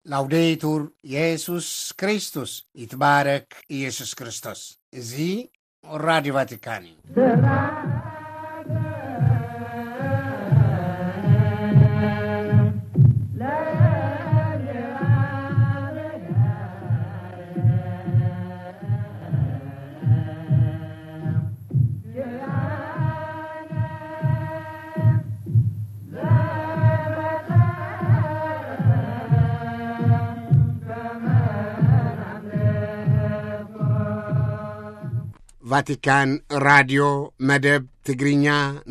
ላውዴቱር የሱስ ክርስቶስ፣ ይትባረክ ኢየሱስ ክርስቶስ። እዚ ራዲዮ ቫቲካን እዩ። ቫቲካን ራድዮ መደብ ትግርኛ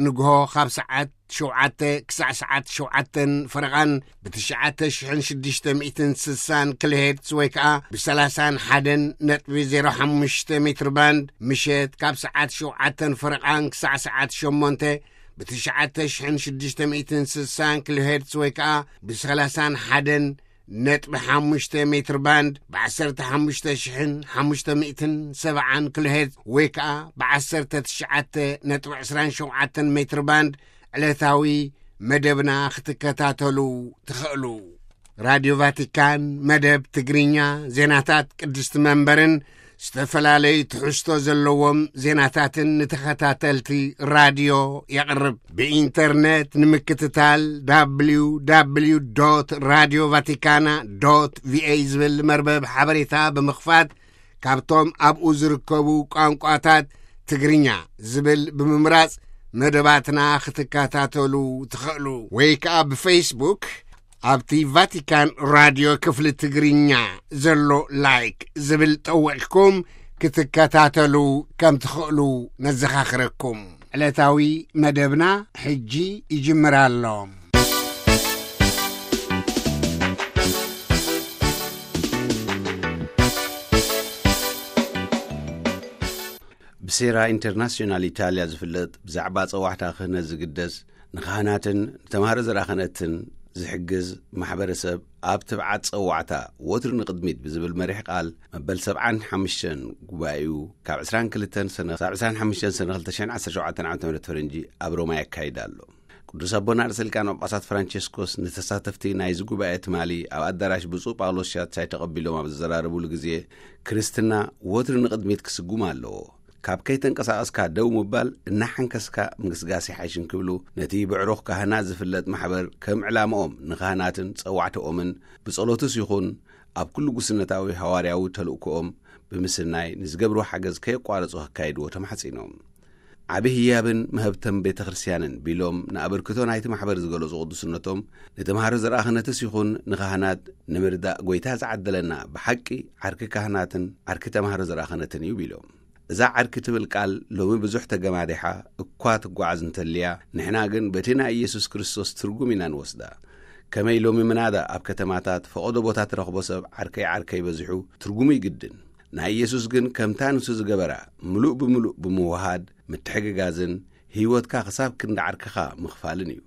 ንግሆ ካብ ሰዓት ሸውዓተ ክሳዕ ሰዓት ሸውዓተን ፈረቓን ብትሽዓተ ሽሕን ሽዱሽተ ሚእትን ስሳን ኪሎሄርትዝ ወይ ከኣ ብሰላሳን ሓደን ነጥቢ ዜሮ ሓሙሽተ ሜትር ባንድ፣ ምሸት ካብ ሰዓት ሸውዓተን ፈረቓን ክሳዕ ሰዓት ሸሞንተ ብትሽዓተ ሽሕን ሽዱሽተ ሚእትን ስሳን ኪሎሄርትዝ ወይ ከኣ ብሰላሳን ሓደን ነጥቢ ሓሙሽተ ሜትር ባንድ፣ ብ ዓሰርተ ሓሙሽተ ሽሕን ሓሙሽተ ሚእትን ሰብዓን ኪሎሄርትዝ ወይ ከኣ ብ ዓሰርተ ትሽዓተ ነጥቢ ዕስራን ሸውዓተን ሜትር ባንድ ዕለታዊ መደብና ክትከታተሉ ትኽእሉ። ራድዮ ቫቲካን መደብ ትግርኛ፣ ዜናታት ቅድስቲ መንበርን ዝተፈላለዩ ትሕዝቶ ዘለዎም ዜናታትን ንተኸታተልቲ ራድዮ የቕርብ። ብኢንተርነት ንምክትታል፣ www radio vaticana va ዝብል መርበብ ሓበሬታ ብምኽፋት፣ ካብቶም ኣብኡ ዝርከቡ ቋንቋታት ትግርኛ ዝብል ብምምራጽ መደባትና ክትከታተሉ ትኽእሉ። ወይ ከኣ ብፌስቡክ ኣብቲ ቫቲካን ራድዮ ክፍሊ ትግርኛ ዘሎ ላይክ ዝብል ጠዊቕኩም ክትከታተሉ ከም ትኽእሉ ነዘኻኽረኩም። ዕለታዊ መደብና ሕጂ ይጅምር ኣሎ። ብሴራ ኢንተርናሽናል ኢታልያ ዝፍለጥ ብዛዕባ ጸዋዕታ ክህነት ዝግደስ፣ ንካህናትን ንተማሃሮ ዘራኸነትን ዝሕግዝ ማሕበረሰብ ኣብ ትብዓት ጸዋዕታ ወትሩ ንቕድሚት ብዝብል መሪሕ ቃል መበል ሰብዓን ሓሙሽተን ጉባኤኡ ካብ ዕስራን ክልተን ሰነ ክሳብ ዕስራን ሓሙሽተን ሰነ ክልተ ሽሕን ዓሰርተ ሸውዓተን ዓመተ ምህረት ፈረንጂ ኣብ ሮማ የካይድ ኣሎ። ቅዱስ ኣቦና ርእሰ ሊቃነ ጳጳሳት ፍራንቸስኮስ ንተሳተፍቲ ናይዚ ጉባኤ ትማሊ ኣብ ኣዳራሽ ብፁዕ ጳውሎስ ሻትሻይ ተቐቢሎም ኣብ ዘዘራረቡሉ ግዜ፣ ክርስትና ወትሩ ንቕድሚት ክስጉም ኣለዎ። ካብ ከይተንቀሳቐስካ ደው ምባል እናሓንከስካ ምግስጋስ ይሓይሽ እንክብሉ፣ ነቲ ብዕሩኽ ካህናት ዝፍለጥ ማሕበር ከም ዕላምኦም ንካህናትን ጸዋዕትኦምን ብጸሎትስ ይኹን ኣብ ኩሉ ጉስነታዊ ሃዋርያዊ ተልእኮኦም ብምስናይ ንዝገብርዎ ሓገዝ ከየቋረጹ ከካይድዎ ተማሕጺኖም። ዓቢ ህያብን መህብተን ቤተ ክርስቲያንን ቢሎም ንኣበርክቶ ናይቲ ማሕበር ዝገለጹ ቅዱስነቶም፣ ንተምሃሮ ዘርኣ ክህነትስ ይኹን ንካህናት ንምርዳእ ጐይታ ዝዓደለና ብሓቂ ዓርኪ ካህናትን ዓርኪ ተምሃሮ ዘርኣ ክህነትን እዩ ቢሎም። እዛ ዓርኪ ትብል ቃል ሎሚ ብዙሕ ተገማዲሓ እኳ ትጓዓዝ እንተልያ፣ ንሕና ግን በቲ ናይ ኢየሱስ ክርስቶስ ትርጉም ኢና ንወስዳ። ከመይ ሎሚ ምናዳ ኣብ ከተማታት ፈቐዶ ቦታ ትረኽቦ ሰብ ዓርከይ ዓርከይ በዚሑ ትርጉሙ ይግድን። ናይ ኢየሱስ ግን ከምታ ንሱ ዝገበራ ምሉእ ብምሉእ ብምውሃድ ምትሕግጋዝን ህይወትካ ክሳብ ክንዲ ዓርክኻ ምኽፋልን እዩ።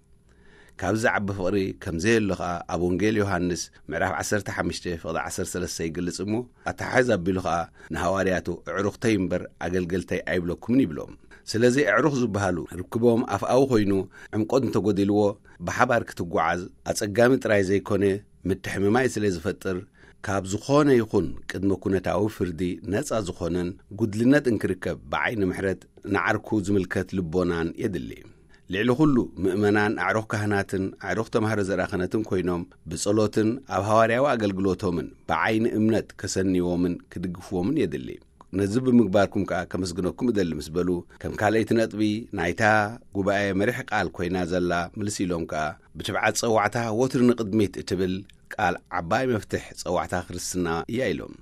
ካብዚ ዝዓቢ ፍቕሪ ከም ዘየሎ ኸኣ ኣብ ወንጌል ዮሃንስ ምዕራፍ ዓሰርተ ሓሙሽተ ፍቕዲ ዓሰርተ ሰለስተ ይገልጽ እሞ፣ ኣተሓሕዝ ኣቢሉ ኸኣ ንሃዋርያቱ፣ "ኣዕሩኽተይ እምበር ኣገልገልተይ ኣይብለኩምን" ይብሎም። ስለዚ ኣዕሩኽ ዝበሃሉ ርክቦም ኣፍኣዊ ኮይኑ ዕምቆት እንተጎዲልዎ፣ ብሓባር ክትጓዓዝ ኣጸጋሚ ጥራይ ዘይኮነ፣ ምትሕምማይ ስለ ዝፈጥር፣ ካብ ዝኾነ ይኹን ቅድመ ኩነታዊ ፍርዲ ነጻ ዝኾነን ጉድልነት እንክርከብ ብዓይኒ ምሕረት ንዓርኩ ዝምልከት ልቦናን የድሊ። ልዕሊ ኩሉ፣ ምእመናን ኣዕሩኽ ካህናትን ኣዕሩኽ ተማህሮ ዘርኣ ክህነትን ኮይኖም፣ ብጸሎትን ኣብ ሃዋርያዊ ኣገልግሎቶምን ብዓይኒ እምነት ከሰንይዎምን ክድግፍዎምን የድሊ። ነዚ ብምግባርኩም ከኣ ከመስግነኩም እደሊ ምስ በሉ፣ ከም ካልኣይቲ ነጥቢ ናይታ ጉባኤ መሪሕ ቃል ኮይና ዘላ ምልስ ኢሎም ከኣ፣ ብትብዓት ጸዋዕታ ወትሩ ንቕድሚት እትብል ቃል ዓባይ መፍትሕ ጸዋዕታ ክርስትና እያ ኢሎም።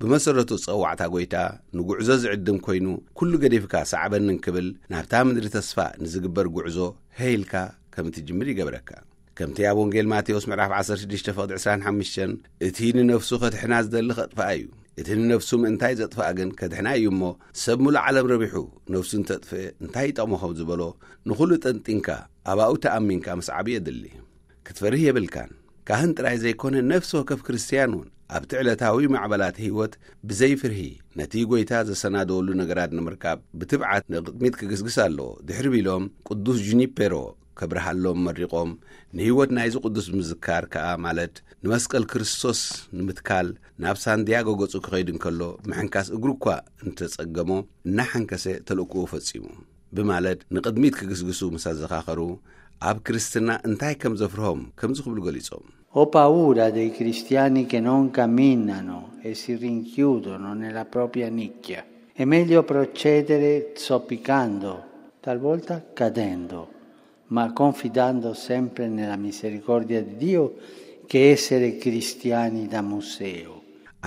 ብመሰረቱ ጸዋዕታ ጐይታ ንጉዕዞ ዝዕድም ኮይኑ፣ ኩሉ ገዲፍካ ሰዓበኒ እንክብል ናብታ ምድሪ ተስፋ ንዝግበር ጉዕዞ ሄይ ኢልካ ከም እትጅምር ይገብረካ። ከምቲ ኣብ ወንጌል ማቴዎስ ምዕራፍ ዓሰርተ ሽዱሽተ ፍቕዲ ዕስራን ሓሙሽተን፣ "እቲ ንነፍሱ ከድሕና ዝደሊ ከጥፍኣ እዩ፣ እቲ ንነፍሱ ምእንታይ ዘጥፍኣ ግን ከድሕና እዩ እሞ፣ ሰብ ምሉእ ዓለም ረቢሑ ነፍሱ እንተጥፍእ እንታይ ይጠቕሞ?" ከም ዝበሎ፣ ንኹሉ ጠንጢንካ ኣባኡ ተኣሚንካ ምስዓብ የድሊ። ክትፈርህ የብልካን። ካህን ጥራይ ዘይኮነ፣ ነፍሲ ወከፍ ክርስትያን እውን ኣብቲ ዕለታዊ ማዕበላት ህይወት ብዘይ ፍርሂ ነቲ ጐይታ ዘሰናደወሉ ነገራት ንምርካብ ብትብዓት ንቕድሚት ክግስግስ ኣለዎ። ድሕሪ ቢሎም ቅዱስ ጁኒፔሮ ከብርሃሎም መሪቖም፣ ንህይወት ናይዚ ቅዱስ ምዝካር ከኣ፣ ማለት ንመስቀል ክርስቶስ ንምትካል ናብ ሳንዲያጎ ገጹ ክኸይድ እንከሎ፣ ምሕንካስ እግሩ እኳ እንተጸገሞ፣ እናሓንከሰ ተልእኮኡ ፈጺሙ ብማለት ንቕድሚት ክግስግሱ ምስ ኣዘኻኸሩ፣ ኣብ ክርስትና እንታይ ከም ዘፍርሆም ከምዚ ክብሉ ገሊጾም። Ho paura dei cristiani che non camminano e si rinchiudono nella propria nicchia. È meglio procedere zoppicando, talvolta cadendo, ma confidando sempre nella misericordia di Dio, che essere cristiani da museo.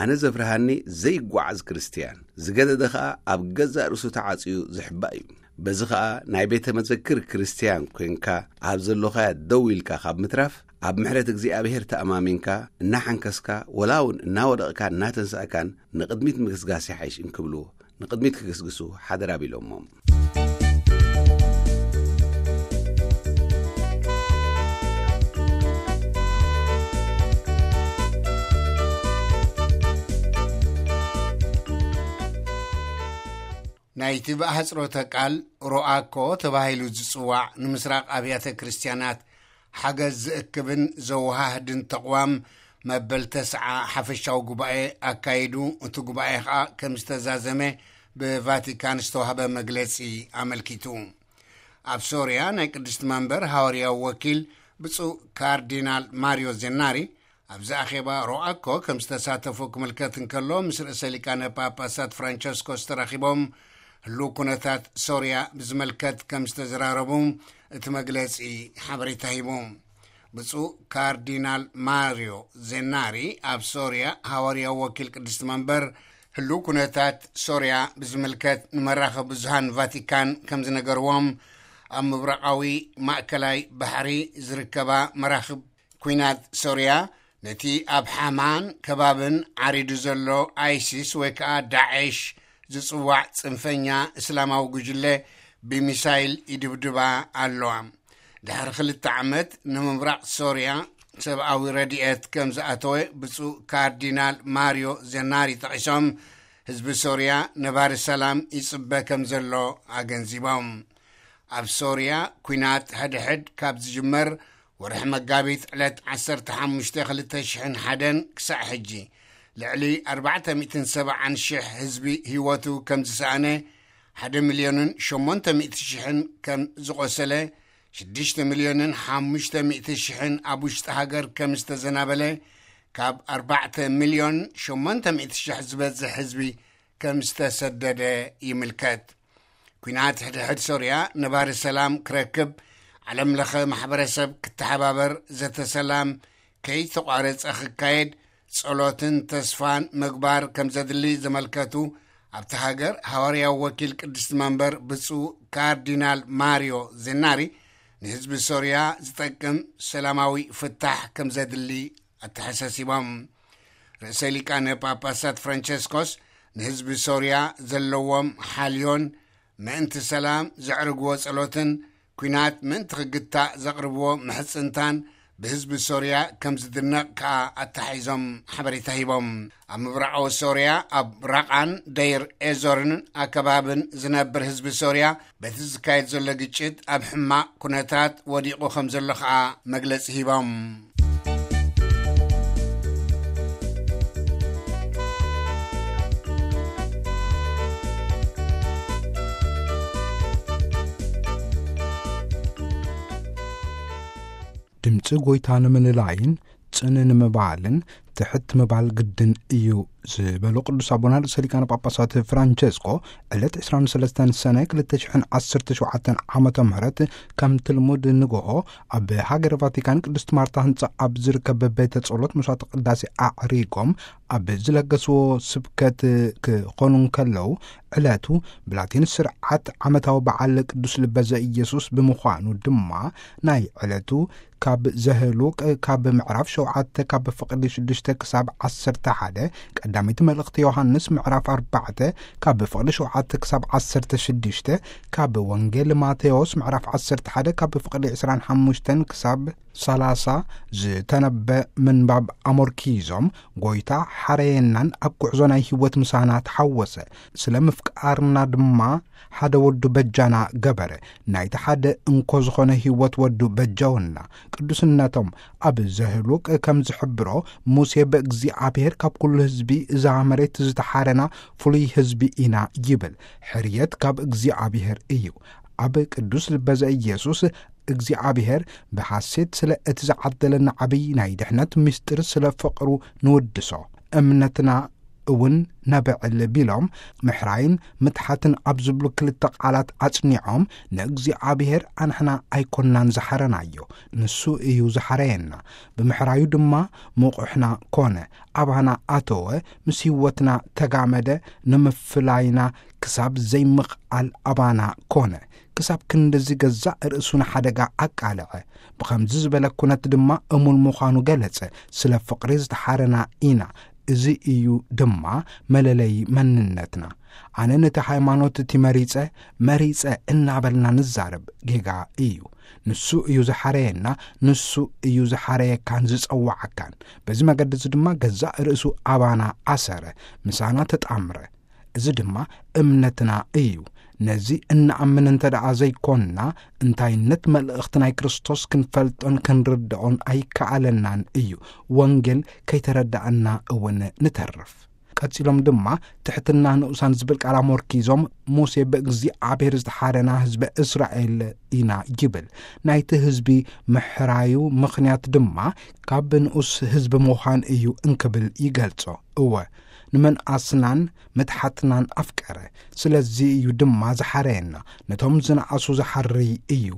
ኣነ ዘፍርሃኒ ዘይጓዓዝ ክርስትያን፣ ዝገደደ ኸኣ ኣብ ገዛእ ርእሱ ተዓጽዩ ዝሕባእ እዩ። በዚ ኸኣ ናይ ቤተ መዘክር ክርስትያን ኮይንካ ኣብ ዘሎኻያ ደው ኢልካ ካብ ምትራፍ፣ ኣብ ምሕረት እግዚኣብሔር ተኣማሚንካ እናሓንከስካ፣ ወላ እውን እናወደቕካ እናተንሳእካን ንቕድሚት ምግስጋስ ይሓይሽ እንክብሉ ንቕድሚት ክግስግሱ ሓደራ ቢሎሞም። ናይቲ ብኣሕጽሮተ ቃል ሮኣኮ ተባሂሉ ዝጽዋዕ ንምስራቕ ኣብያተ ክርስትያናት ሓገዝ ዝእክብን ዘወሃህድን ተቕዋም መበል ተስዓ ሓፈሻዊ ጉባኤ ኣካይዱ። እቲ ጉባኤ ኸኣ ከም ዝተዛዘመ ብቫቲካን ዝተዋህበ መግለጺ ኣመልኪቱ። ኣብ ሶርያ ናይ ቅድስቲ መንበር ሃዋርያዊ ወኪል ብፁዕ ካርዲናል ማሪዮ ዜናሪ ኣብዚ ኣኼባ ሮኣኮ ከም ዝተሳተፉ ክምልከት እንከሎ፣ ምስ ርእሰ ሊቃነ ጳጳሳት ፍራንቸስኮስ ተራኺቦም ህሉው ኩነታት ሶርያ ብዝመልከት ከም ዝተዘራረቡ እቲ መግለጺ ሓበሬታ ሂቡ። ብፁዕ ካርዲናል ማሪዮ ዜናሪ ኣብ ሶርያ ሃዋርያዊ ወኪል ቅድስቲ መንበር ህሉው ኩነታት ሶርያ ብዝምልከት ንመራኸቢ ብዙሃን ቫቲካን ከም ዝነገርዎም፣ ኣብ ምብራቓዊ ማእከላይ ባሕሪ ዝርከባ መራኽብ ኲናት ሶርያ ነቲ ኣብ ሓማን ከባብን ዓሪዱ ዘሎ ኣይሲስ ወይ ከኣ ዳዕሽ ዝጽዋዕ ጽንፈኛ እስላማዊ ጉጅለ ብሚሳይል ይድብድባ ኣለዋ። ድሕሪ ክልተ ዓመት ንምብራቕ ሶርያ ሰብኣዊ ረድኤት ከም ዝኣተወ ብፁዕ ካርዲናል ማሪዮ ዜናሪ ጠቒሶም፣ ህዝቢ ሶርያ ነባሪ ሰላም ይጽበ ከም ዘሎ ኣገንዚቦም። ኣብ ሶርያ ኲናት ሕድሕድ ካብ ዝጅመር ወርሒ መጋቢት ዕለት ዓሰርተ ሓሙሽተ ክልተ ሽሕን ሓደን ክሳዕ ሕጂ ልዕሊ ኣርባዕተ ሚእትን ሰብዓን ሽሕ ህዝቢ ህይወቱ ከም ዝሰኣነ፣ ሓደ ሚልዮንን ሸሞንተ ሚእቲ ሽሕን ከም ዝቖሰለ፣ ሽዱሽተ ሚልዮንን ሓሙሽተ ሚእቲ ሽሕን ኣብ ውሽጢ ሃገር ከም ዝተዘናበለ፣ ካብ ኣርባዕተ ሚልዮን ሸሞንተ ሚእቲ ሽሕ ዝበዝሕ ህዝቢ ከም ዝተሰደደ ይምልከት። ኲናት ሕድሕድ ሶርያ ነባሪ ሰላም ክረክብ ዓለም ለኸ ማሕበረሰብ ክተሓባበር፣ ዘተ ሰላም ከይተቋረጸ ክካየድ ጸሎትን ተስፋን ምግባር ከም ዘድሊ ዘመልከቱ ኣብቲ ሃገር ሃዋርያዊ ወኪል ቅድስቲ መንበር ብፁዕ ካርዲናል ማሪዮ ዜናሪ፣ ንህዝቢ ሶርያ ዝጠቅም ሰላማዊ ፍታሕ ከም ዘድሊ ኣተሓሳሲቦም። ርእሰ ሊቃነ ጳጳሳት ፍራንቸስኮስ ንህዝቢ ሶርያ ዘለዎም ሓልዮን ምእንቲ ሰላም ዘዕርግዎ ጸሎትን ኲናት ምእንቲ ክግታእ ዘቕርብዎ ምሕጽንታን ብህዝቢ ሶርያ ከም ዝድነቕ ከኣ ኣተሓሒዞም ሓበሬታ ሂቦም። ኣብ ምብራቓዊ ሶርያ ኣብ ራቓን ደይር ኤዞርን ኣከባብን ዝነብር ህዝቢ ሶርያ በቲ ዝካየድ ዘሎ ግጭት ኣብ ሕማቕ ኩነታት ወዲቑ ከም ዘሎ ከኣ መግለጺ ሂቦም። ድምፂ ጎይታ ንምልላይን ጽን ንምባልን ትሕት ምባል ግድን እዩ ዝበሉ ቅዱስ ኣቦና ርእሰ ሊቃነ ጳጳሳት ፍራንቸስኮ፣ ዕለት ዕስራን ሰለስተን ሰነ ክልተ ሽሕን ዓሰርተ ሸውዓተን ዓመተ ምህረት ከምቲ ልሙድ ንግሆ ኣብ ሃገረ ቫቲካን ቅድስት ማርታ ህንጻ ኣብ ዝርከብ ቤተ ጸሎት መስዋዕተ ቅዳሴ ኣዕሪጎም ኣብ ዝለገስዎ ስብከት ክኾኑ እንከለዉ፣ ዕለቱ ብላቲን ስርዓት ዓመታዊ በዓል ቅዱስ ልበ ዘኢየሱስ ብምዃኑ ድማ፣ ናይ ዕለቱ ካብ ዘህሉቅ ካብ ምዕራፍ ሸውዓተ ካብ ፍቕዲ ሽዱሽተ ክሳብ ዓሰርተ ሓደ፣ ቀዳመይቲ መልእኽቲ ዮሃንስ ምዕራፍ ኣርባዕተ ካብ ፍቕዲ ሸውዓተ ክሳብ ዓሰርተ ሽዱሽተ፣ ካብ ወንጌል ማቴዎስ ምዕራፍ ዓሰርተ ሓደ ካብ ፍቕዲ ዕስራን ሓሙሽተን ክሳብ ሰላሳ ዝተነበ ምንባብ ኣመርኪዞም፣ ጎይታ ሓረየናን ኣብ ጉዕዞ ናይ ህይወት ምሳና ተሓወሰ፣ ስለ ምፍቃርና ድማ ሓደ ወዱ በጃና ገበረ፣ ናይቲ ሓደ እንኮ ዝኾነ ህይወት ወዱ በጃወና። ቅዱስነቶም ኣብ ዘህሉቅ ከም ዝሕብሮ፣ ሙሴ ብእግዚኣብሔር ካብ ኩሉ ህዝቢ እዛ መሬት ዝተሓረና ፍሉይ ህዝቢ ኢና ይብል። ሕርየት ካብ እግዚኣብሔር እዩ። ኣብ ቅዱስ ልበ ዘኢየሱስ እግዚኣብሔር ብሓሴት ስለ እቲ ዝዓደለና ዓብዪ ናይ ድሕነት ምስጢር ስለ ፍቕሩ ንውድሶ። እምነትና እውን ነብዕል ቢሎም፣ ምሕራይን ምትሓትን ኣብ ዝብሉ ክልተ ቃላት ኣጽኒዖም፣ ንእግዚኣብሔር ኣንሕና ኣይኮናን ዝሓረናዮ፣ ንሱ እዩ ዝሓረየና። ብምሕራዩ ድማ ምቑሕና ኮነ፣ ኣባና ኣተወ፣ ምስ ህይወትና ተጋመደ፣ ንምፍላይና ክሳብ ዘይምኽኣል ኣባና ኮነ። ክሳብ ክንድዚ ገዛእ ርእሱ ንሓደጋ ኣቃልዐ። ብኸምዚ ዝበለ ኩነት ድማ እሙን ምዃኑ ገለጸ። ስለ ፍቕሪ ዝተሓረና ኢና። እዚ እዩ ድማ መለለዪ መንነትና። ኣነ ነቲ ሃይማኖት እቲ መሪጸ፣ መሪጸ እናበልና ንዛረብ ጌጋ እዩ። ንሱ እዩ ዝሓረየና፣ ንሱ እዩ ዝሓረየካን ዝጸዋዓካን። በዚ መገዲ እዚ ድማ ገዛእ ርእሱ ኣባና ኣሰረ፣ ምሳና ተጣምረ። እዚ ድማ እምነትና እዩ። ነዚ እንኣምን እንተ ደኣ ዘይኮንና፣ እንታይነት መልእኽቲ ናይ ክርስቶስ ክንፈልጦን ክንርድኦን ኣይከኣለናን እዩ። ወንጌል ከይተረዳእና እውን ንተርፍ። ቀጺሎም ድማ ትሕትና ንኡሳን ዝብል ቃል ኣመርኪዞም፣ ሙሴ ብእግዚኣብሔር ዝተሓረና ህዝበ እስራኤል ኢና ይብል። ናይቲ ህዝቢ ምሕራዩ ምኽንያት ድማ ካብ ንኡስ ህዝቢ ምዃን እዩ እንክብል ይገልጾ። እወ፣ ንምንኣስናን ምትሓትናን ኣፍቀረ። ስለዚ እዩ ድማ ዝሓረየና። ነቶም ዝነኣሱ ዝሓርይ እዩ።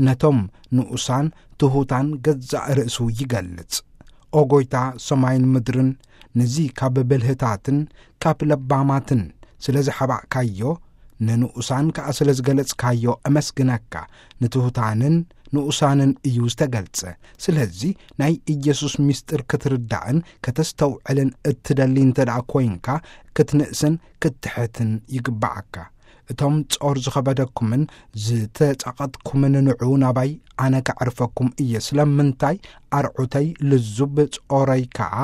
ነቶም ንኡሳን ትሑታን ገዛእ ርእሱ ይገልጽ። ኦ ጎይታ ሰማይን ምድርን፣ ነዚ ካብ ብልህታትን ካብ ለባማትን ስለ ዝሓባእካዮ፣ ንንኡሳን ከኣ ስለ ዝገለጽካዮ እመስግነካ። ንትሑታንን ንኡሳንን እዩ ዝተገልጸ። ስለዚ ናይ ኢየሱስ ምስጢር ክትርዳእን ከተስተውዕልን እትደሊ እንተ ደኣ ኮይንካ፣ ክትንእስን ክትትሕትን ይግባዓካ። እቶም ጾር ዝኸበደኩምን ዝተጻቐጥኩምን ንዑ ናባይ፣ ኣነ ከዕርፈኩም እየ። ስለምንታይ? ኣርዑተይ ልዙብ፣ ጾረይ ከኣ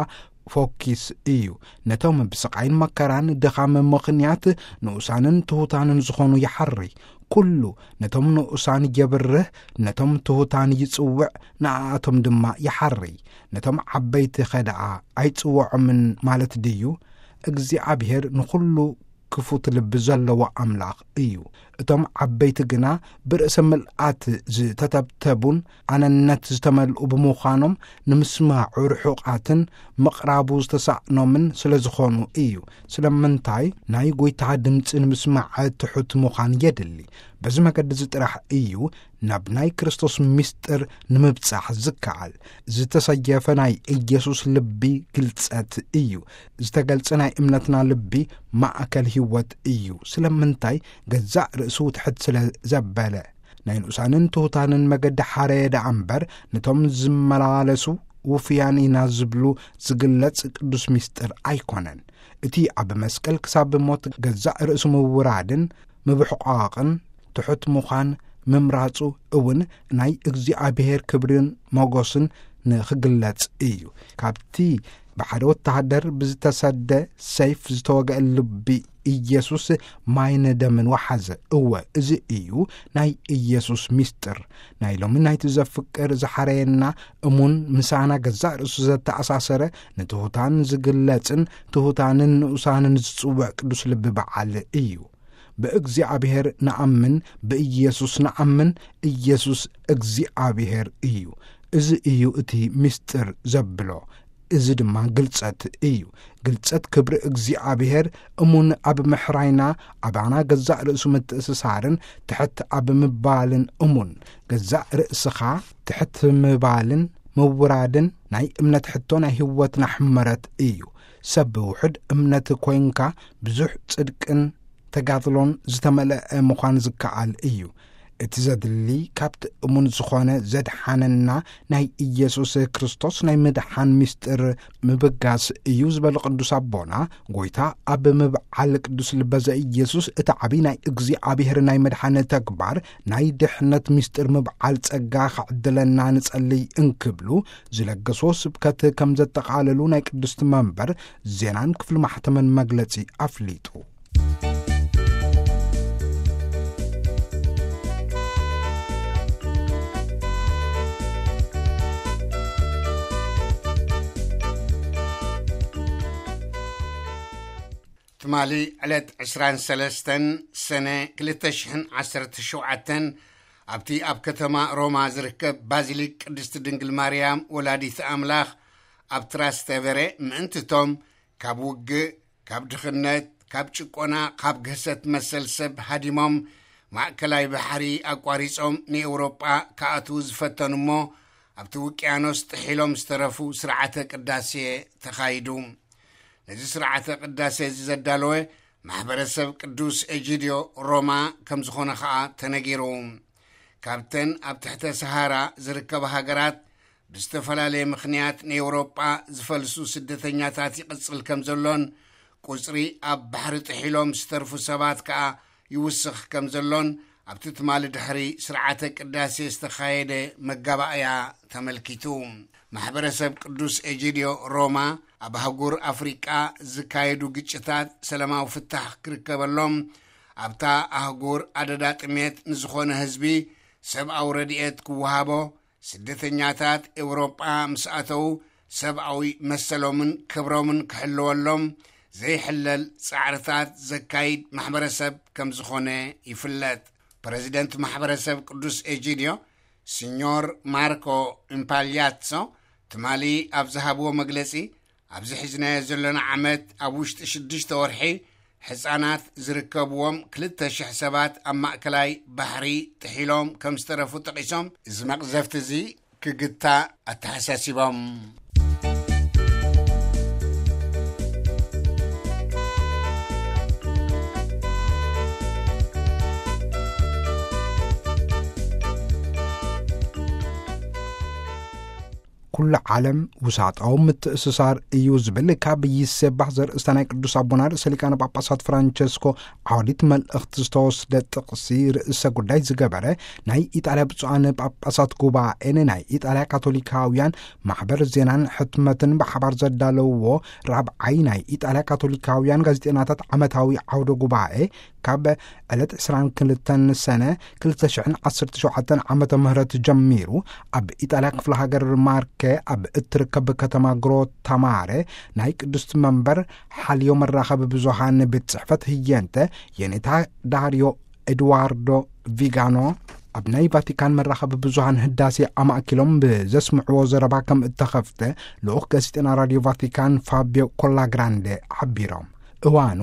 ፎኪስ እዩ። ነቶም ብስቓይን መከራን ድኻም ምኽንያት ንኡሳንን ትሑታንን ዝኾኑ ይሓርይ። ኩሉ ነቶም ንኡሳን የብርህ፣ ነቶም ትሑታን ይጽውዕ፣ ንኣኣቶም ድማ ይሓርይ። ነቶም ዓበይቲ ኸ ደኣ ኣይጽውዖምን ማለት ድዩ? እግዚኣብሔር ንኹሉ ክፉት ልቢ ዘለዎ ኣምላኽ እዩ። እቶም ዓበይቲ ግና ብርእሰ ምልኣት ዝተተብተቡን ኣነነት ዝተመልኡ ብምዃኖም፣ ንምስማዑ ርሑቓትን ምቕራቡ ዝተሳእኖምን ስለ ዝኾኑ እዩ። ስለምንታይ? ናይ ጐይታ ድምጺ ንምስማዕ ትሑት ምዃን የድሊ። በዚ መገዲ እዚ ጥራሕ እዩ ናብ ናይ ክርስቶስ ምስጢር ንምብጻሕ ዝከኣል። ዝተሰየፈ ናይ ኢየሱስ ልቢ ግልጸት እዩ። ዝተገልጸ ናይ እምነትና ልቢ ማእከል ህይወት እዩ። ስለምንታይ? ገዛእ ርእሱ ትሕት ስለ ዘበለ። ናይ ንኡሳንን ትሑታንን መገዲ ሓረየ ደኣ እምበር፣ ነቶም ዝመላለሱ ውፉያን ኢና ዝብሉ ዝግለጽ ቅዱስ ምስጢር ኣይኮነን። እቲ ኣብ መስቀል ክሳብ ሞት ገዛእ ርእሱ ምውራድን ምብሕቋቕን ትሑት ምዃን ምምራጹ እውን ናይ እግዚኣብሔር ክብርን ሞገስን ንኽግለጽ እዩ። ካብቲ ብሓደ ወተሃደር ብዝተሰደ ሰይፍ ዝተወግአ ልቢ ኢየሱስ ማይን ደምን ወሓዘ። እወ፣ እዚ እዩ ናይ ኢየሱስ ምስጢር። ናይ ሎሚ ናይቲ ዘፍቅር ዝሓረየና እሙን ምሳና ገዛእ ርእሱ ዘተኣሳሰረ ንትሑታን ዝግለጽን ትሑታንን ንኡሳንን ዝጽውዕ ቅዱስ ልቢ በዓል እዩ። ብእግዚኣብሔር ንኣምን፣ ብኢየሱስ ንኣምን፣ ኢየሱስ እግዚኣብሔር እዩ። እዚ እዩ እቲ ምስጢር ዘብሎ። እዚ ድማ ግልጸት እዩ። ግልጸት ክብሪ እግዚኣብሔር እሙን ኣብ ምሕራይና፣ ኣባና ገዛእ ርእሱ ምትእስሳርን ትሕት ኣብ ምባልን እሙን። ገዛእ ርእስኻ ትሕት ምባልን ምውራድን ናይ እምነት ሕቶ ናይ ህይወትና ሕመረት እዩ። ሰብ ብውሑድ እምነት ኮይንካ ብዙሕ ጽድቅን ተጋድሎን ዝተመልአ ምዃን ዝከኣል እዩ። እቲ ዘድሊ ካብቲ እሙን ዝኾነ ዘድሓነና ናይ ኢየሱስ ክርስቶስ ናይ ምድሓን ምስጢር ምብጋስ እዩ ዝበሉ ቅዱስ ኣቦና፣ ጎይታ ኣብ ምብዓል ቅዱስ ልበ ዘኢየሱስ እቲ ዓቢ ናይ እግዚኣብሔር ናይ ምድሓን ተግባር ናይ ድሕነት ምስጢር ምብዓል ጸጋ ክዕድለና ንጸልይ እንክብሉ ዝለገስዎ ስብከት ከም ዘጠቓለሉ ናይ ቅድስቲ መንበር ዜናን ክፍሊ ማሕተምን መግለጺ ኣፍሊጡ። ትማሊ ዕለት ዕስራን ሰለስተን ሰነ ክልተ ሽሕን ዓሰርተ ሸውዓተን ኣብቲ ኣብ ከተማ ሮማ ዝርከብ ባዚሊክ ቅድስቲ ድንግል ማርያም ወላዲት ኣምላኽ ኣብ ትራስተቨረ ምእንትቶም ካብ ውግእ፣ ካብ ድኽነት፣ ካብ ጭቆና፣ ካብ ግህሰት መሰል ሰብ ሃዲሞም ማእከላይ ባሕሪ ኣቋሪጾም ንኤውሮጳ ክኣትዉ ዝፈተኑ እሞ ኣብቲ ውቅያኖስ ጥሒሎም ዝተረፉ ስርዓተ ቅዳሴ ተኻይዱ። ነዚ ስርዓተ ቅዳሴ እዚ ዘዳለወ ማሕበረሰብ ቅዱስ ኤጂድዮ ሮማ ከም ዝኾነ ኸኣ ተነጊሩ። ካብተን ኣብ ትሕተ ሰሃራ ዝርከባ ሃገራት ብዝተፈላለየ ምኽንያት ንኤውሮጳ ዝፈልሱ ስደተኛታት ይቕጽል ከም ዘሎን፣ ቁጽሪ ኣብ ባሕሪ ጥሒሎም ዝተርፉ ሰባት ከኣ ይውስኽ ከም ዘሎን፣ ኣብቲ ትማሊ ድሕሪ ስርዓተ ቅዳሴ ዝተኻየደ መጋባእያ ተመልኪቱ። ማሕበረሰብ ቅዱስ ኤጂድዮ ሮማ፣ ኣብ ኣህጉር ኣፍሪቃ ዝካየዱ ግጭታት ሰላማዊ ፍታሕ ክርከበሎም፣ ኣብታ ኣህጉር ኣደዳ ጥሜት ንዝኾነ ህዝቢ ሰብኣዊ ረድኤት ክወሃቦ፣ ስደተኛታት ኤውሮጳ ምስ ኣተዉ ሰብኣዊ መሰሎምን ክብሮምን ክሕለወሎም ዘይሕለል ጻዕርታት ዘካይድ ማሕበረሰብ ከም ዝኾነ ይፍለጥ። ፕረዚደንት ማሕበረሰብ ቅዱስ ኤጂድዮ፣ ሲኞር ማርኮ ኢምፓልያትሶ፣ ትማሊ ኣብ ዝሃብዎ መግለጺ፣ ኣብዚ ሒዝናዮ ዘለና ዓመት ኣብ ውሽጢ ሽዱሽተ ወርሒ ሕጻናት ዝርከብዎም ክልተ ሽሕ ሰባት ኣብ ማእከላይ ባሕሪ ጥሒሎም ከም ዝተረፉ ጠቒሶም፣ እዚ መቕዘፍቲ እዚ ክግታእ ኣተሓሳሲቦም። ኩሉ ዓለም ውሳጣዊ ምትእስሳር እዩ ዝብል ካብ ይሴባህ ዘርእስታ ናይ ቅዱስ ኣቦና ርእሰ ሊቃነ ጳጳሳት ፍራንቸስኮ ዓውዲት መልእኽቲ ዝተወስደ ጥቕሲ ርእሰ ጉዳይ ዝገበረ ናይ ኢጣልያ ብፁዓን ጳጳሳት ጉባኤ ንናይ ኢጣልያ ካቶሊካውያን ማሕበር ዜናን ሕትመትን ብሓባር ዘዳለውዎ ራብዓይ ናይ ኢጣልያ ካቶሊካውያን ጋዜጠኛታት ዓመታዊ ዓውደ ጉባኤ ካብ ዕለት ዕስራን ክልተን ሰነ ክልተ ሽሕን ዓሰርተ ሸውዓተን ዓመተ ምህረት ጀሚሩ ኣብ ኢጣልያ ክፍለ ሃገር ማርኬ ኣብ እትርከብ ከተማ ግሮታማረ ናይ ቅድስቲ መንበር ሓልዮ መራኸቢ ብዙሃን ቤት ጽሕፈት ህየንተ የኔታ ዳርዮ ኤድዋርዶ ቪጋኖ ኣብ ናይ ቫቲካን መራኸቢ ብዙሃን ህዳሴ ኣማእኪሎም ብዘስምዕዎ ዘረባ ከም እተኸፍተ ልኡኽ ጋዜጠና ራድዮ ቫቲካን ፋቢዮ ኮላግራንዴ ሓቢሮም። እዋኑ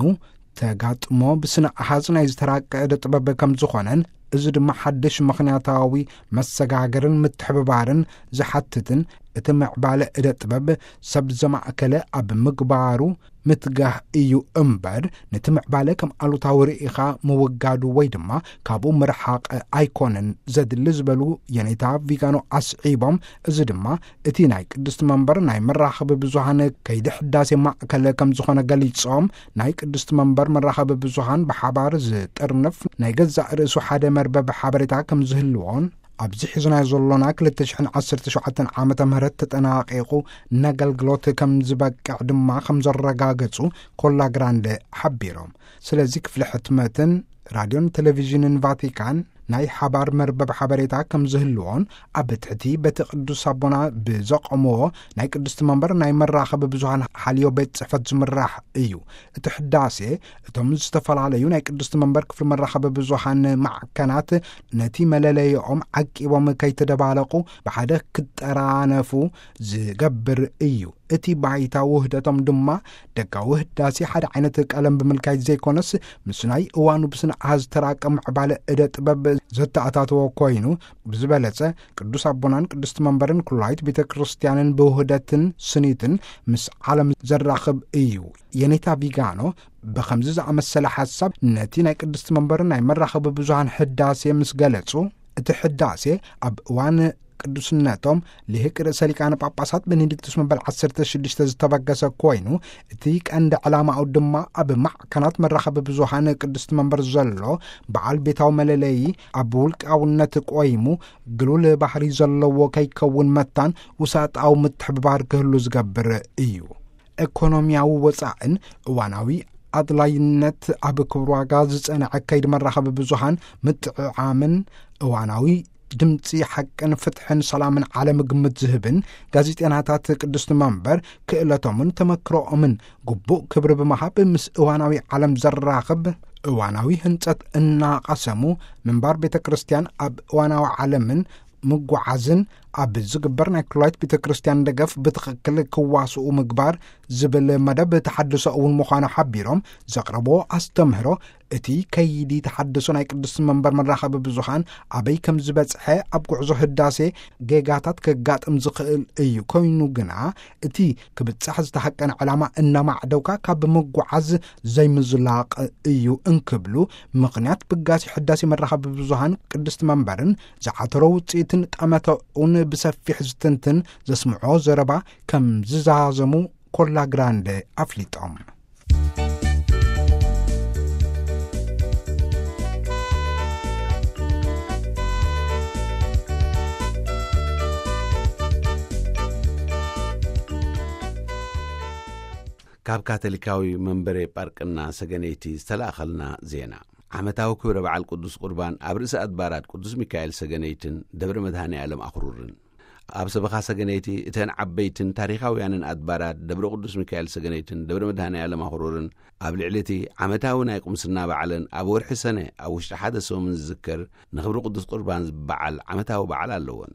ተጋጥሞ ብስነ ኣሃዝ ናይ ዝተራቀ እደ ጥበብ ከም ዝኾነን፣ እዚ ድማ ሓድሽ ምኽንያታዊ መሰጋገርን ምትሕብባርን ዝሓትትን፣ እቲ ምዕባለ እደ ጥበብ ሰብ ዘማእከለ ኣብ ምግባሩ ምትጋህ እዩ እምበር፣ ነቲ ምዕባለ ከም ኣሉታዊ ርኢኻ ምውጋዱ ወይ ድማ ካብኡ ምርሓቕ ኣይኮነን ዘድሊ ዝበሉ የኔታ ቪጋኖ ኣስዒቦም፣ እዚ ድማ እቲ ናይ ቅድስቲ መንበር ናይ መራኸቢ ብዙሃን ከይዲ ሕዳሴ ማእከል ከም ዝኾነ ገሊጾም፣ ናይ ቅድስቲ መንበር መራኸቢ ብዙሃን ብሓባር ዝጥርንፍ ናይ ገዛእ ርእሱ ሓደ መርበብ ሓበሬታ ከም ዝህልዎን፣ ኣብዚ ሒዝናዮ ዘሎና ክልተ ሽሕን ዓሰርተ ሸውዓተን ዓመተ ምህረት ተጠናቂቑ ነገልግሎት ከም ዝበቅዕ ድማ ከም ዘረጋገጹ ኮላ ግራንደ ሓቢሮም። ስለዚ ክፍሊ ሕትመትን ራድዮን ቴሌቪዥንን ቫቲካን ናይ ሓባር መርበብ ሓበሬታ ከም ዝህልዎን፣ ኣብ ትሕቲ በቲ ቅዱስ ኣቦና ብዘቐምዎ ናይ ቅድስቲ መንበር ናይ መራኸቢ ብዙሃን ሓልዮ ቤት ጽሕፈት ዝምራሕ እዩ። እቲ ሕዳሴ እቶም ዝተፈላለዩ ናይ ቅድስቲ መንበር ክፍሊ መራኸቢ ብዙሃን ማዕከናት ነቲ መለለይኦም ዓቂቦም ከይተደባለቑ ብሓደ ክጠራነፉ ዝገብር እዩ። እቲ ባይታ ውህደቶም ድማ ደጋዊ ህዳሴ ሓደ ዓይነት ቀለም ብምልካይ ዘይኮነስ፣ ምስ ናይ እዋኑ ብስነ ኣሃዝ ዝተራቀ ምዕባለ እደ ጥበብ ዘተኣታተወ ኮይኑ፣ ብዝበለጸ ቅዱስ ኣቦናን ቅድስቲ መንበርን ኩላይት ቤተ ክርስቲያንን ብውህደትን ስኒትን ምስ ዓለም ዘራኽብ እዩ። የኔታ ቪጋኖ ብኸምዚ ዝኣመሰለ ሓሳብ ነቲ ናይ ቅድስቲ መንበርን ናይ መራኸቢ ብዙሃን ህዳሴ ምስ ገለጹ፣ እቲ ህዳሴ ኣብ እዋን ቅዱስነቶም ልሂቅ ርእሰ ሊቃነ ጳጳሳት ቤኔዲክቱስ መበል ዓሰርተ ሽዱሽተ ዝተበገሰ ኮይኑ፣ እቲ ቀንዲ ዕላማኡ ድማ ኣብ ማዕከናት መራኸቢ ብዙሃን ቅድስቲ መንበር ዘሎ በዓል ቤታዊ መለለዪ ኣብ ውልቃውነት ቆይሙ፣ ግሉል ባህሪ ዘለዎ ከይከውን መታን ውሳጣዊ ምትሕብባር ክህሉ ዝገብር እዩ። ኤኮኖሚያዊ ወጻእን እዋናዊ ኣድላይነት ኣብ ክብር ዋጋ ዝጸንዐ ከይዲ መራኸቢ ብዙሃን ምጥዕዓምን እዋናዊ ድምፂ ሓቅን ፍትሕን ሰላምን ዓለም ግምት ዝህብን፣ ጋዜጠናታት ቅድስቲ መንበር ክእለቶምን ተመክሮኦምን ግቡእ ክብሪ ብምሃብ ምስ እዋናዊ ዓለም ዘራኽብ እዋናዊ ህንጸት እናቐሰሙ ምንባር ቤተ ክርስቲያን ኣብ እዋናዊ ዓለምን ምጉዓዝን ኣብ ዝግበር ናይ ኩላይት ቤተ ክርስቲያን ደገፍ ብትኽክል ክዋስኡ ምግባር ዝብል መደብ ተሓድሶ እውን ምዃኑ ሓቢሮም፣ ዘቕረቦ ኣስተምህሮ እቲ ከይዲ ተሓድሶ ናይ ቅድስቲ መንበር መራኸቢ ብዙሃን ኣበይ ከም ዝበጽሐ፣ ኣብ ጉዕዞ ህዳሴ ጌጋታት ከጋጥም ዝኽእል እዩ። ኮይኑ ግና እቲ ክብጻሕ ዝተሃቀነ ዕላማ እናማዕደውካ ካብ ምጉዓዝ ዘይምዝላቕ እዩ እንክብሉ፣ ምኽንያት ብጋሲ ሕዳሴ መራኸቢ ብዙሃን ቅድስቲ መንበርን ዝዓተሮ ውጽኢትን ጠመተኡን ብሰፊሕ ዝትንትን ዘስምዖ ዘረባ ከም ዝዛዘሙ ኮላ ግራንደ ኣፍሊጦም። ካብ ካቶሊካዊ መንበረ ጳርቅና ሰገነይቲ ዝተላእኸልና ዜና። ዓመታዊ ክብረ በዓል ቅዱስ ቁርባን ኣብ ርእሰ ኣድባራት ቅዱስ ሚካኤል ሰገነይትን ደብረ መድኃኔ ዓለም ኣኽሩርን። ኣብ ሰበኻ ሰገነይቲ እተን ዓበይትን ታሪኻውያንን ኣድባራት ደብረ ቅዱስ ሚካኤል ሰገነይትን ደብረ መድኃኔ ዓለም ኣኽሩርን ኣብ ልዕሊ እቲ ዓመታዊ ናይ ቁምስና በዓለን ኣብ ወርሒ ሰነ ኣብ ውሽጢ ሓደ ሰሙን ዝዝከር ንኽብሪ ቅዱስ ቁርባን ዝበዓል ዓመታዊ በዓል ኣለወን።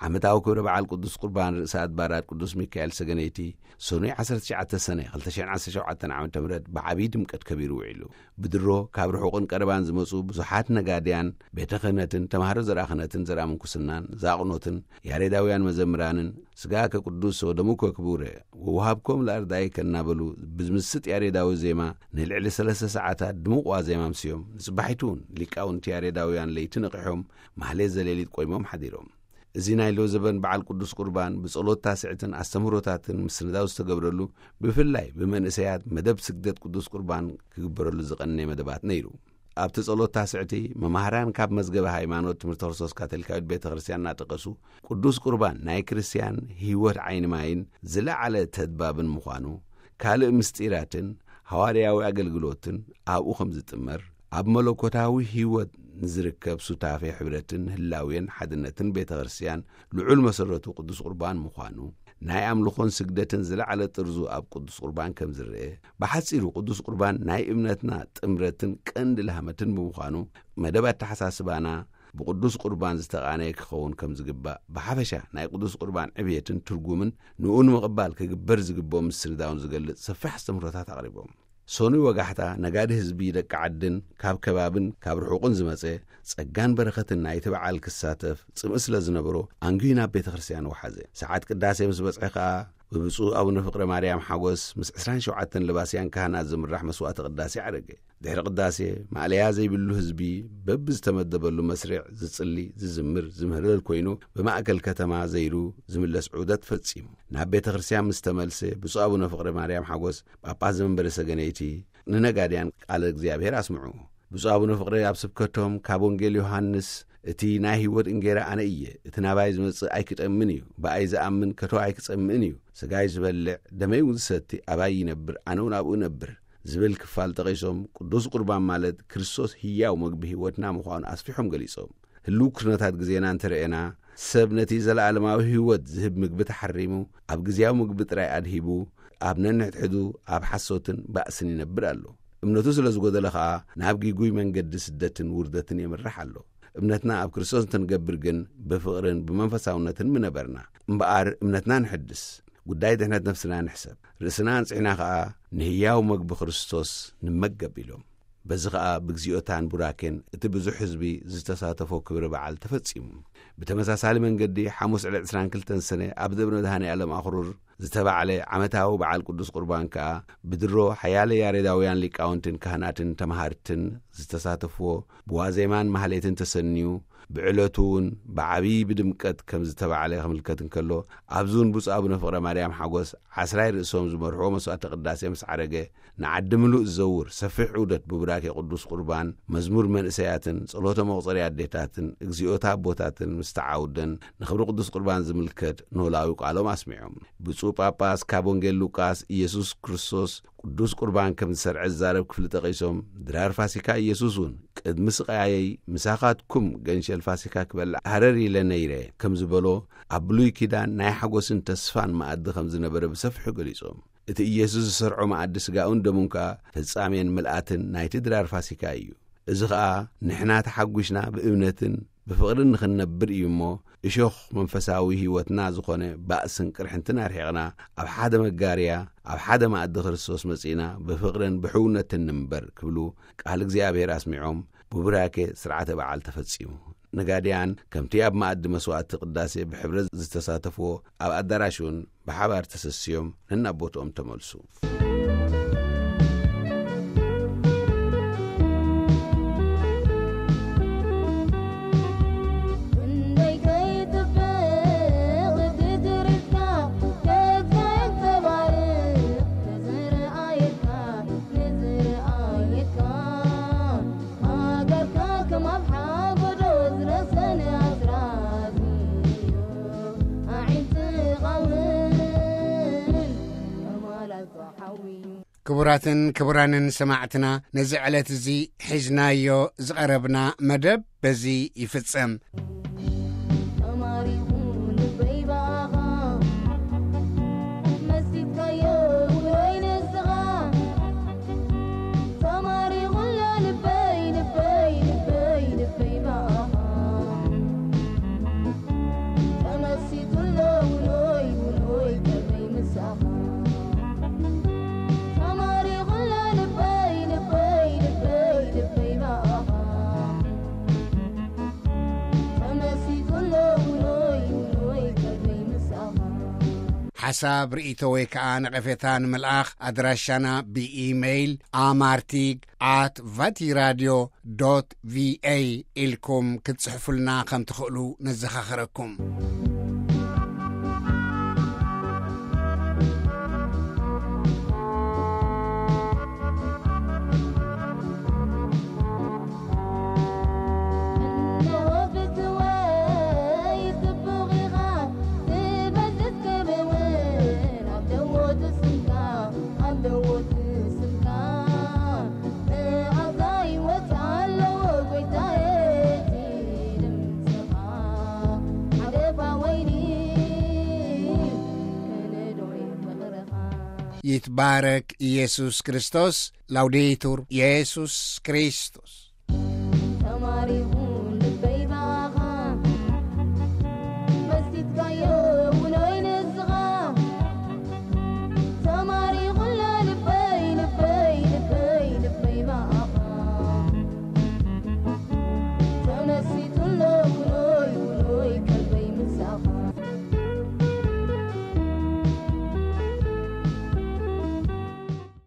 ዓመታዊ ክብረ በዓል ቅዱስ ቁርባን ርእሰ ኣድባራት ቅዱስ ሚካኤል ሰገነይቲ ሰኑይ ዓሰርተ ትሽዓተ ሰነ ክልተ ሽሕን ዓሰርተ ሸውዓተን ዓመተ ምህረት ብዓብዪ ድምቀት ከቢሩ ውዒሉ። ብድሮ ካብ ርሑቕን ቀረባን ዝመጹ ብዙሓት ነጋድያን ቤተ ክህነትን ተማሃሮ ዘርኣ ክህነትን ዘርኣ ምንኩስናን ዛቕኖትን ያሬዳውያን መዘምራንን ስጋከ ቅዱስ ወደሙከ ክቡረ ወውሃብኮም ለኣርዳኢከ እናበሉ ብዝምስጥ ያሬዳዊ ዜማ ንልዕሊ ሰለስተ ሰዓታት ድሙቕ ዋዜማ ኣምስዮም። ንጽባሒቱ እውን ሊቃውንቲ ያሬዳውያን ለይቲ ነቒሖም ማህሌት ዘሌሊት ቆይሞም ሓዲሮም። እዚ ናይ ሎዘበን በዓል ቅዱስ ቁርባን ብጸሎት ታስዕትን ኣስተምህሮታትን ምስንዳው ዝተገብረሉ፣ ብፍላይ ብመንእሰያት መደብ ስግደት ቅዱስ ቁርባን ክግበረሉ ዝቐነየ መደባት ነይሩ። ኣብቲ ጸሎት ታስዕቲ መማህራን ካብ መዝገበ ሃይማኖት ትምህርቲ ክርስቶስ ካቶሊካዊት ቤተ ክርስቲያን እናጠቀሱ፣ ቅዱስ ቁርባን ናይ ክርስቲያን ህይወት ዓይኒ ማይን ዝለዓለ ተድባብን ምዃኑ፣ ካልእ ምስጢራትን ሃዋርያዊ ኣገልግሎትን ኣብኡ ከም ዝጥመር፣ ኣብ መለኮታዊ ህይወት ንዝርከብ ሱታፌ ሕብረትን ህላዌን ሓድነትን ቤተ ክርስቲያን ልዑል መሰረቱ ቅዱስ ቁርባን ምዃኑ፣ ናይ ኣምልኾን ስግደትን ዝለዓለ ጥርዙ ኣብ ቅዱስ ቁርባን ከም ዝረአ፣ ብሓጺሩ ቅዱስ ቁርባን ናይ እምነትና ጥምረትን ቀንዲ ላህመትን ብምዃኑ፣ መደብ ኣተሓሳስባና ብቅዱስ ቁርባን ዝተቓነየ ክኸውን ከም ዝግባእ፣ ብሓፈሻ ናይ ቅዱስ ቁርባን ዕብየትን ትርጉምን ንኡ ንምቕባል ክግበር ዝግብኦ ምስንዳውን ዝገልጽ ሰፊሕ ኣስተምህሮታት ኣቕሪቦም። ሰኑይ ወጋሕታ፣ ነጋዲ ህዝቢ ደቂ ዓድን ካብ ከባብን ካብ ርሑቕን ዝመጸ፣ ጸጋን በረኸትን ናይቲ በዓል ክሳተፍ ጽምኢ ስለ ዝነበሮ፣ ኣንጊሁ ናብ ቤተ ክርስቲያን ወሓዘ። ሰዓት ቅዳሴ ምስ በጽሐ ከኣ፣ ብብፁዕ ኣቡነ ፍቕረ ማርያም ሓጎስ ምስ ዕስራን ሸውዓተን ለባስያን ካህናት ዝምራሕ መስዋዕተ ቅዳሴ ዓረገ። ድሕሪ ቅዳሴ፣ ማእለያ ዘይብሉ ህዝቢ በብዝተመደበሉ መስርዕ ዝጽሊ፣ ዝዝምር፣ ዝምህለል ኮይኑ፣ ብማእከል ከተማ ዘይሩ ዝምለስ ዑደት ፈጺሙ። ናብ ቤተ ክርስቲያን ምስ ተመልሰ፣ ብፁዕ ኣቡነ ፍቕረ ማርያም ሓጎስ፣ ጳጳስ ዘመንበረ ሰገነይቲ፣ ንነጋድያን ቃለ እግዚኣብሔር ኣስምዑ። ብፁዕ ኣቡነ ፍቕረ ኣብ ስብከቶም፣ ካብ ወንጌል ዮሃንስ፣ "እቲ ናይ ህይወት እንጌራ ኣነ እየ፣ እቲ ናባይ ዝመጽእ ኣይክጠምን እዩ፣ ብኣይ ዝኣምን ከቶ ኣይክጸምእን እዩ፣ ስጋይ ዝበልዕ፣ ደመይ እውን ዝሰቲ ኣባይ ይነብር፣ ኣነ እውን ኣብኡ እነብር" ዝብል ክፋል ጠቒሶም፣ ቅዱስ ቁርባን ማለት ክርስቶስ ህያው መግቢ ህይወትና ምዃኑ ኣስፊሖም ገሊጾም። ህልው ኩነታት ግዜና እንተረኤና፣ ሰብ ነቲ ዘለኣለማዊ ህይወት ዝህብ ምግቢ ተሓሪሙ፣ ኣብ ግዜያዊ ምግቢ ጥራይ ኣድሂቡ፣ ኣብ ነንሕድሕዱ ኣብ ሓሶትን ባእስን ይነብር ኣሎ። እምነቱ ስለ ዝጎደለ ኸኣ፣ ናብ ጊጉይ መንገዲ ስደትን ውርደትን የምርሕ ኣሎ። እምነትና ኣብ ክርስቶስ እንተንገብር ግን፣ ብፍቕርን ብመንፈሳውነትን ምነበርና። እምበኣር፣ እምነትና ንሕድስ። ጉዳይ ድሕነት ነፍስና ንሕሰብ፣ ርእስና ኣንጽሕና ከኣ ንህያው መግቢ ክርስቶስ ንመገብ ኢሎም። በዚ ኸኣ ብግዚኦታን ቡራኬን እቲ ብዙሕ ህዝቢ ዝተሳተፎ ክብሪ በዓል ተፈጺሙ። ብተመሳሳሊ መንገዲ ሓሙስ ዕለት ዕስራን ክልተን ሰነ ኣብ ደብረ መድሃኔ ዓለም ኣኽሩር ዝተባዕለ ዓመታዊ በዓል ቅዱስ ቁርባን ከኣ ብድሮ ሓያለ ያሬዳውያን ሊቃውንትን ካህናትን ተማሃርትን ዝተሳተፍዎ ብዋዜማን ማህሌትን ተሰንዩ ብዕለቱ እውን ብዓብዪ ብድምቀት ከም ዝተባዕለ ከምልከት እንከሎ፣ ኣብዚ እውን ብፁዕ ኣቡነ ፍቕረ ማርያም ሓጎስ ዓስራይ ርእሶም ዝመርሕዎ መስዋዕተ ቅዳሴ ምስ ዓረገ፣ ንዓዲ ምሉእ ዝዘውር ሰፊሕ ዑደት ብቡራኬ ቅዱስ ቁርባን፣ መዝሙር መንእሰያትን ጸሎተ መቑጸሪ ኣዴታትን እግዚኣብሔር ኣቦታትን ምስ ተዓውደን ንኽብሪ ቅዱስ ቁርባን ዝምልከት ኖላዊ ቃሎም ኣስሚዖም። ብፁዕ ጳጳስ ካብ ወንጌል ሉቃስ ኢየሱስ ክርስቶስ ቅዱስ ቁርባን ከም ዝሰርዐ ዝዛረብ ክፍሊ ጠቒሶም፣ ድራር ፋሲካ ኢየሱስ እውን ቅድሚ ስቓየይ ምሳኻትኩም ገንሸል ፋሲካ ክበልዕ ሃረር ኢለ ነይረ ከም ዝበሎ፣ ኣብ ብሉይ ኪዳን ናይ ሓጎስን ተስፋን መኣዲ ከም ዝነበረ ብሰፊሑ ገሊጾም። እቲ ኢየሱስ ዝሰርዖ መኣዲ ስጋኡን ደሙን ከኣ ፍጻሜን ምልኣትን ናይቲ ድራር ፋሲካ እዩ። እዚ ኸኣ ንሕና ተሓጒስና ብእምነትን ብፍቕርን ንኽንነብር እዩ እሞ፣ እሾኽ መንፈሳዊ ህይወትና ዝኾነ ባእስን ቅርሕንትን ኣርሒቕና፣ ኣብ ሓደ መጋርያ፣ ኣብ ሓደ መኣዲ ክርስቶስ መጺእና ብፍቕርን ብሕውነትን ንንበር ክብሉ ቃል እግዚኣብሔር ኣስሚዖም፣ ብቡራኬ ስርዓተ በዓል ተፈጺሙ። ነጋድያን ከምቲ ኣብ መኣዲ መስዋዕቲ ቅዳሴ ብሕብረት ዝተሳተፍዎ ኣብ ኣዳራሽ እውን ብሓባር ተሰስዮም ነናብ ቦትኦም ተመልሱ። ክቡራትን ክቡራንን ሰማዕትና፣ ነዚ ዕለት እዚ ሒዝናዮ ዝቐረብና መደብ በዚ ይፍጸም። ሓሳብ፣ ርእይቶ ወይ ከኣ ነቐፌታ ንምልኣኽ ኣድራሻና ብኢሜይል ኣማርቲግ ኣት ቫቲራድዮ ዶት ቪኤ ኢልኩም ክትጽሕፉልና ከም ትኽእሉ ነዘኻኽረኩም። ይትባረክ ኢየሱስ ክርስቶስ። ላውዴቱር ኢየሱስ ክርስቶስ።